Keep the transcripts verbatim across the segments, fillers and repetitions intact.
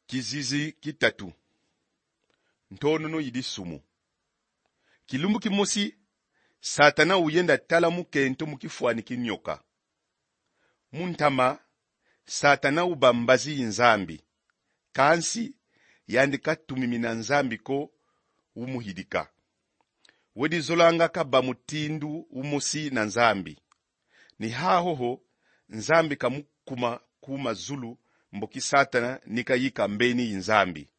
Kizizi ki tatu. Ntonono yi disumu. Kilumbu kimosi, Satana uyenda tala mukento mu kifwani ki nyoka. Mu ntama, Satana uba mbazi yi Nzambi. Kansi, yandi ka tumimina Nzambi ko, umuhidika. Wedi zolanga kaba mutindu umosi na Nzambi. Ni hahoho, Nzambi ka mukuma ku mazulu, mboki Satana ni kayika mbeni yi Nzambi.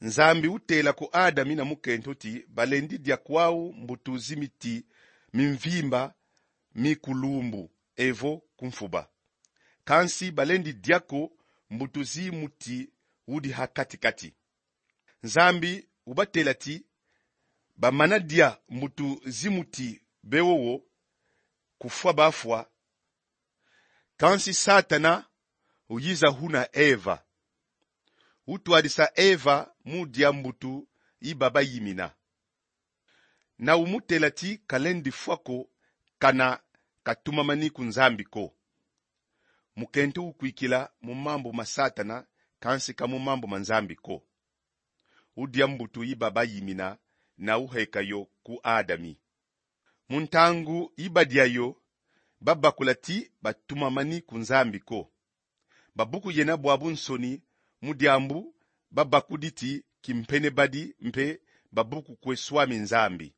Nzambi utela ku Adami na mukento ti balendi dia kwau mbutu zi miti mi mvimba mi kulumbu, evo ku mfuba. Kansi balendi dia ko mbutu zi muti udi ha kati-kati. Nzambi ubatela ti bamana dia mbutu zi muti be wowo, kufwa bafwa. Kansi Satana uyiza huna Eva. Utwadisa Eva mu dia mbutu yi babayimina. Na umutela ti kalendi fwa ko kana katumamani ku Nzambi ko. Mukento ukwikila mu mambu ma Satana, kansi ka mu mambu ma Nzambi ko. Udia mbutu yi babayimina na uheka yo ku Adami. Mu ntangu yi badia yo, babakula ti batumamani ku Nzambi ko. Babuku yena bwabu nsoni, mu diambu babakudi ti kimpene badi mpe babuku kwe Swami Nzambi.